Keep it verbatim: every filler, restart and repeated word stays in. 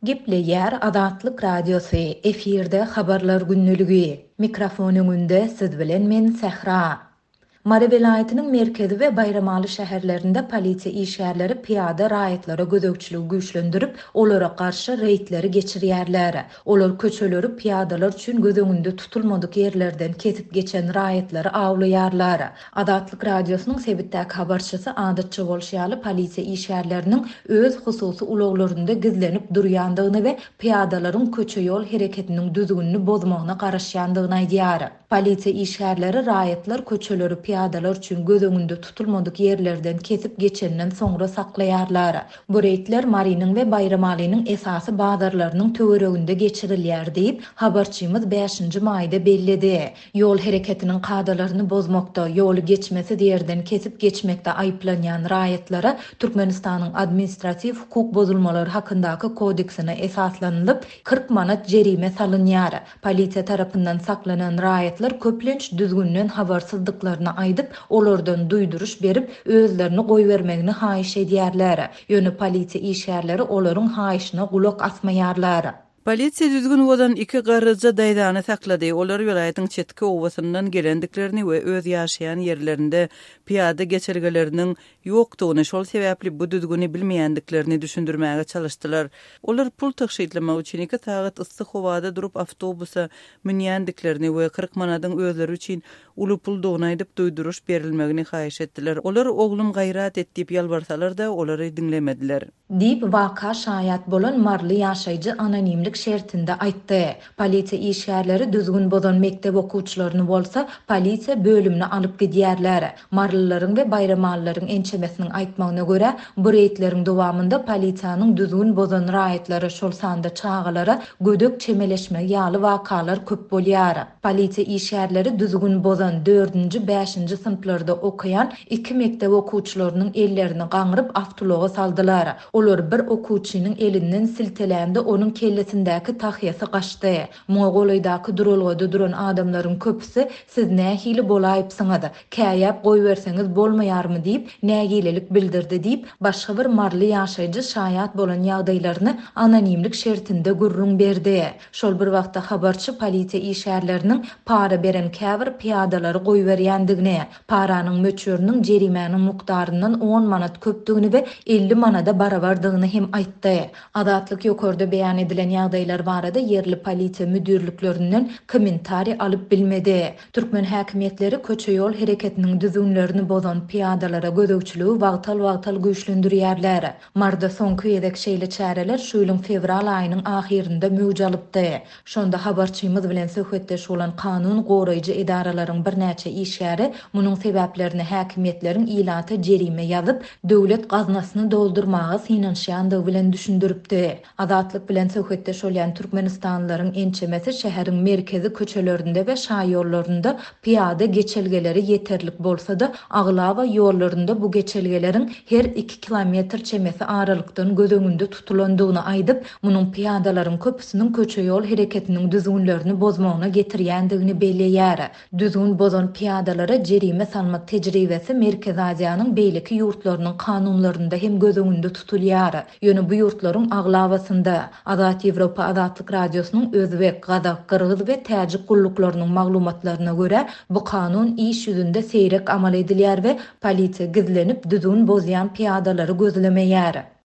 Gepleýär Azatlyk Radiosy, efirde Habarlar gündeligi. Mikrofon öňünde siz bilen men Sähra. Mary welaýatynyň merkezi we Baýramaly şäherlerinde polisiýa işgärleri pyýada raýatlara gözegçiligi güýçlendirip, olara garşy reýdleri geçirýärler. Olar köçeleri pyýadalar üçin göz öňünde tutulmadyk ýerlerden kesip geçen raýatlary awlaýarlar. Azatlyk Radiosynyň sebitdäki habarçysy adatça bolşy ýaly polisiýa işgärleriniň öz hususy ulaglarynda gizlenip durýandygyny we pyýadalaryň köçe-ýol hereketiniň düzgünini bozmagyna garaşýandygyny aýdýar. Polisiýa işgärleri raýatlar köçeleri pyýadalar üçin göz öňünde tutulmadyk ýerlerden kesip geçenden soňra saklaýarlar. Bu reýdler Marynyň we Baýramalynyň esasy bazarlarynyň töwereginde geçirilýär diýip, habarçymyz bäşinji maýda belledi. Ýol hereketiniň kadalaryny bozmakda, ýoly geçmesiz ýerden kesip geçmekde aýyplanýan raýatlara Türkmenistanyň administratiw hukuk bozulmalary hakyndaky kodeksine esaslanylyp kyrk manat jerime salynýar. Polisiýa tarapyndan saklanan raýatlar köplenç düzgünden habarsyzdyklaryny aýdyp, olardan duýduryş berip, özlerini goýbermegini haýyş edýärler. Ýöne polisiýa işgärleri olaryň haýyşyna gulak asmaýarlar. Polisiýa düzgün bozan iki garryja daýzany saklady. Olar welaýatyň çetki obasyndan gelendiklerini we öz ýaşaýan ýerlerinde pyýada geçelgeleriniň ýokdugyny, şol sebäpli bu düzgüni bilmeýändiklerini düşündirmäge çalyşdylar. Olar pul tygşytlamak üçin iki sagat yssy howada durup awtobusa münýändiklerini we kyrk manadyň özleri üçin uly puldugyny aýdyp duýduryş berilmegini haýyş etdiler. Olar oglum gaýrat et diýip ýalbarsalar-da olary diňlemediler. Diýip waka şaýat bolan Marly ýaşaýjy anonimlik şertinde aýtdy. Polisiýa işgärleri düzgün bozan mekdep okuwçylaryny bolsa polisiýa bölümine alyp gidýärler. Marlylaryň we Baýramalylaryň ençemesiniň aýtmagyna görä, bu reýdleriň dowamynda polisiýanyň düzgün bozan raýatlara, şol sanda çagalara gödek çemeleşmegi ýaly wakalar köp bolýar. Polisiýa işgärleri düzgün bozan dördünji, bäşinji synplarda okaýan iki mekdep okuwçylarynyň ellerini gaňryp awtoulaga saldylar. Olar bir okuwçynyň elinden siltelände onuň kellesindäki tahýasy gaçdy. Muňa golaýdaky duralgada duran adamlaryň köpüsi siz nähili bolaýypsyňyz, käýäp goýberseňiz bolmaýarmy diýip nägilelik bildirdi diýip başga bir marly ýaşaýjy şaýat bolan ýagdaýlaryny anonimlik şertinde gürrüň berdi. Şol bir wagtda habarçy polisiýa işgärleriniň para beren käbir pyýadalary goýberýändigini, paranyň möçberiniň jerimäniň mukdaryndan on manat köpdügini we elli manada barabardygyny hem aýtdy. Azatlyk ýokarda beýan edilen ýagdaýlar barada ýerli polisiýa müdirliklerinden kommentariý alyp bilmedi. Türkmen häkimiýetleri köçe-ýol hereketiniň düzgünlerini bozan pyýadalara gözegçiligi wagtal-wagtal güýçlendirýärler. Marda soňky gezek şeýle çäreler şu ýylyň fewral aýynyň ahyrynda möwç alypdy. Şonda habarçymyz bilen söhbetdeş bolan kanun goraýjy edaralaryň birnäçe işgäri munuň sebäplerini häkimiýetleriň ilata jerime ýazyp, döwlet gaznasyny doldurmaga synanyşýandygy bilen düşündiripdi. Azatlyk bilen söhbetdeş bolýan Türkmenistanlylaryň ençemesi şäheriň merkezi köçelerinde we şaýollarynda pyýada geçelgeleri ýeterlik bolsa-da, aglaba ýollarynda bu geçelgeleriň her iki kilometr çemesi aralykdan göz öňünde tutulandygyny aýdyp, munuň pyýadalaryň köpüsiniň köçe-ýol hereketiniň düzgünlerini bozmagyna getirýändigini belleýär. Düzgün bozan pyýadalara jerime salmak tejribesi Merkezi Aziýanyň beýleki ýurtlarynyň kanunlarynda hem göz öňünde tutulýar. Ýöne bu ýurtlaryň aglabasynda Azat Ýewropa Azatlyk Radiosynyň Özbek, Gazak, Gyrgyz we Täjik gulluklarynyň maglumatlaryna görä, bu kanun iş ýüzünde seýrek amal edilýär we polisiýa gizlenip düzgün bozýan pyýadalary gözlemeýär.